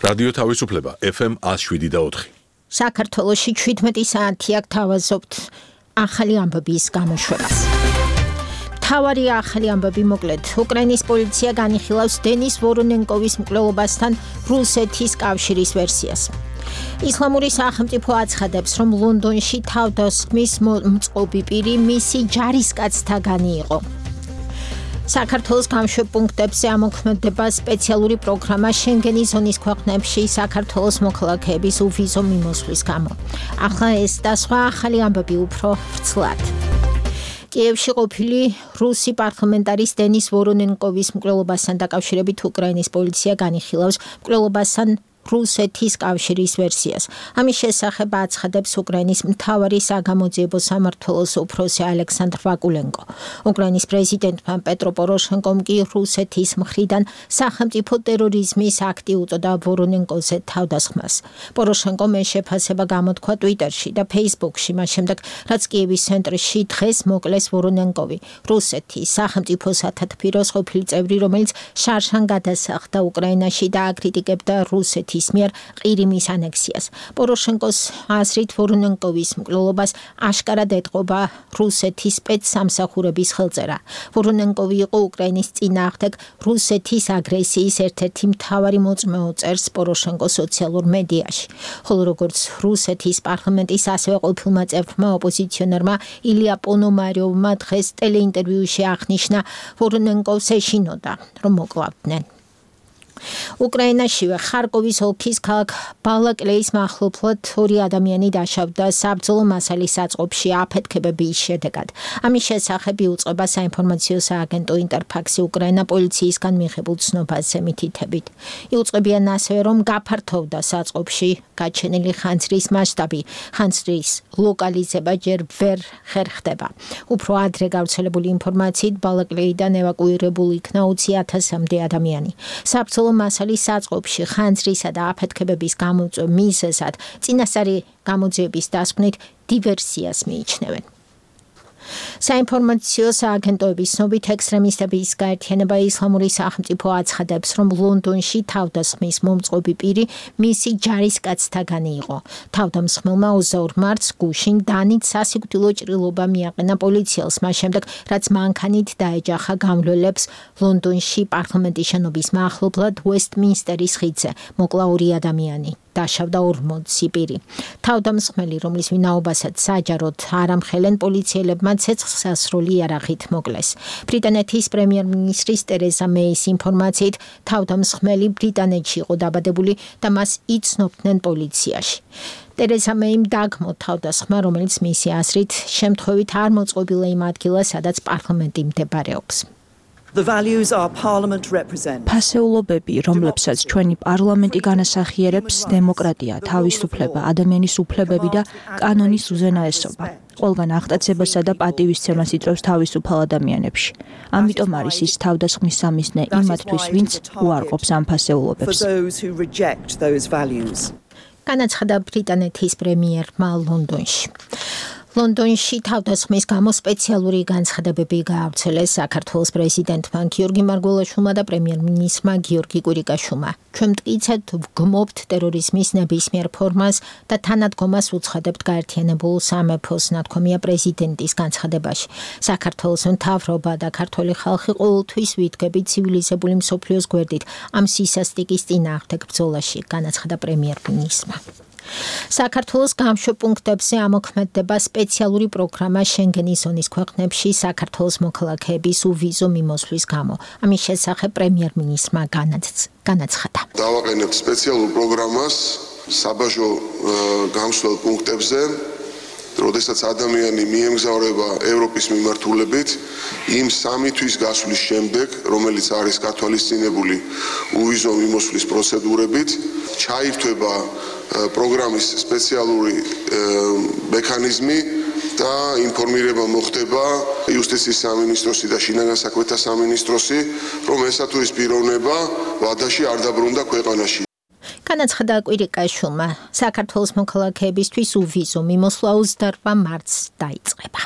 რადიო თავისუფლება FM 107.4. საქართველოში 17 საათი აქ თავაზობთ ახალი ამბების გამოშვებას. მთავარი ახალი ამბები მოკლედ. უკრაინის პოლიცია განიხილავს დენის ვორონენკოვის მკვლელობასთან რუსეთის კავშირის ვერსიას. ისლამური სახელმწიფო აცხადებს, რომ ლონდონში თავდასხმის მოწყობი პირი მისი ჯარისკაცთაგანი იყო. საქართველოს გამშვებპუნქტებზე ამოქმედება სპეციალური პროგრამა შენგენის ზონის ქვეყნებში საქართველოს მოქალაქეების უვიზო მიმოსვლის გამო. ახლა ეს და სხვა ახალი ამბები უფრო ვრცლად. კიევში ყოფილი რუსი პარლამენტარის დენის ვორონენკოვის მკვლელობასთან დაკავშირებით უკრაინის პოლიცია განიხილავს მკვლელობასთან რუსეთის კავშირის ვერსიას. ამის შესახებ აცხადებს უკრაინის მთავარი საგამოძიებო სამმართველოს უფროსი ალექსანდრ ვაკულენკო. უკრაინის პრეზიდენტმა პეტრო პოროშენკომ კი რუსეთის მხრიდან სახელმწიფო ტერორიზმის აქტი უწოდა ვორონენკოზე თავდასხმას. პოროშენკომ ეს შეფასება გამოთქვა ტვიტერში და ფეისბუქში, მას შემდეგ, რაც კიევის ცენტრში დღეს მოკლეს ვორონენკოვი, რუსეთის სახელმწიფო სათათბიროს ყოფილი წევრი, რომელიც შარშან გადასახლდა უკრაინაში და აკრიტიკებდა რუსეთის მიერ ყირიმის ანექსიას. პოროშენკოს აზრით ვორონენკოვის მკვლელობას აშკარად ეტყობა რუსეთის სპეცსამსახურების ხელწერა. ვორონენკოვი იყო უკრაინის წინააღმდეგ რუსეთის აგრესიის ერთ-ერთი მთავარი მოწმეო, წერს პოროშენკო სოციალურ მედიაში. ხოლო როგორც რუსეთის პარლამენტის ასევე ყოფილმა წევრმა ოპოზიციონერმა ილია პონომარიოვმა დღეს ტელეინტერვიუში აღნიშნა, ვორონენკოვს ეშინოდა, რომ მოკლავდნენ. უკრაინაშივე ხარკოვის ოლქის ქალაქ ბალაკლეის მახლობლად 2 ადამიანი დაშავდა საბრძოლო მასალის საწყობში აფეთქებების შედეგად. ამის შესახებ იუწყება საინფორმაციო სააგენტო ინტერფაქსი უკრაინა პოლიციისგან მიღებულ ცნობაზე მითითებით. იუწყებიან ასევე, რომ გაფართოვდა საწყობში გაჩენილი ხანძრის მასშტაბი. ხანძრის ლოკალიზება ჯერ ვერ ხერხდება. უფრო ადრე გავრცელებული ინფორმაციით ბალაკლეიდან ევაკუირებული იქნა 20,000-მდე ადამიანი. საბრძოლო მასალის საწყობში ხანძრისა და აფეთქებების გამოწვევ მიზეზად წინასწარი გამოძიების დასკვნით დივერსიას მიიჩნევენ. საინფორმაციო სააგენტოების ცნობით ექსტრემისტების გაერთიანება ისლამური სახელმწიფო აცხადებს, რომ ლონდონში თავდასხმის მომწყობი პირი მისი ჯარისკაცთაგანი იყო. თავდამსხმელმა 22 მარტს გუშინ დანით სასიკვდილო ჭრილობა მიაყენა პოლიციელს, მას შემდეგ, რაც მანქანით დაეჯახა გამლველებს ლონდონში პარლამენტის შენობის მახლობლად უესტმინსტერის ხიდზე. მოკლა 2 ადამიანი. დაშავდა 40 პირი. თავდამსხმელი, რომლის ვინაობასაც საჯაროდ არ ამხელენ, პოლიციელებმა ცეცხლსასროლი იარაღით მოკლეს. ბრიტანეთის პრემიერ-მინისტრის ტერეზა მეის ინფორმაციით, თავდამსხმელი ბრიტანეთში იყო დაბადებული და მას იცნობდნენ პოლიციაში. ტერეზა მეიმ დაგმო თავდასხმა, რომელიც მისი აზრით შემთხვევით არ მოწყობილა იმ ადგილას, სადაც პარლამენტი მდებარეობს. ფასეულობები, რომლებსაც ჩვენი პარლამენტი განასახიერებს, დემოკრატია, თავისუფლება, ადამიანის უფლებები და კანონის უზენაესობა. ყველგან აღტაცებასა და პატივისცემას იწვევს თავისუფალ ადამიანებში. ამიტომ არის ის თავდასხმის სამიზნე იმათთვის, ვინც უარყოფს ამ ფასეულობებს. განაცხადა ბრიტანეთის პრემიერმა ლონდონში. ლონდონში თავდასხმის გამო სპეციალური განცხადებები გაავრცელეს საქართველოს პრეზიდენტმა გიორგი მარგველაშვილმა და პრემიერ-მინისტრმა გიორგი კვირიკაშვილმა. ჩვენ მტკიცედ ვგმობთ ტერორიზმის ნებისმიერ ფორმას და თანადგომას უცხადებთ გაერთიანებულ სამეფოს, ნათქვამია პრეზიდენტის განცხადებაში. საქართველოს მთავრობა და ქართველი ხალხი ყოველთვის ვიდგებით ცივილიზებული მსოფლიოს გვერდით ამ სისასტიკის წინააღმდეგ ბრძოლაში, განაცხადა პრემიერ-მინისტრმა. საქართველოს გამშვებპუნქტებზე ამოქმედება სპეციალური პროგრამა შენგენის ზონის ქვეყნებში საქართველოს მოქალაქეების უვიზო მიმოსვლის გამო. ამის შესახებ პრემიერ-მინისტრმა განაცხადა. დავაყენებთ სპეციალურ პროგრამას საბაჟო გამსვლელ პუნქტებზე, როდესაც ადამიანი მიემგზავრება ევროპის მიმართულებით, იმ 3 თვის გასვლის შემდეგ, რომელიც არის გათვალისწინებული უვიზო მიმოსვლის პროცედურებით, ჩაირთვება პროგრამის სპეციალური მექანიზმი და ინფორმირება მოხდება იუსტიციის სამინისტროსი და შინაგან საქმეთა სამინისტროსი, რომ ესა თუ ის პიროვნება ვადაში არ დაბრუნდა ქვეყანაში. განაცხადა კვირიკაშვილმა, საქართველოს მოქალაქეებისთვის უვიზო მიმოსვლა 28 მარტს დაიწყება.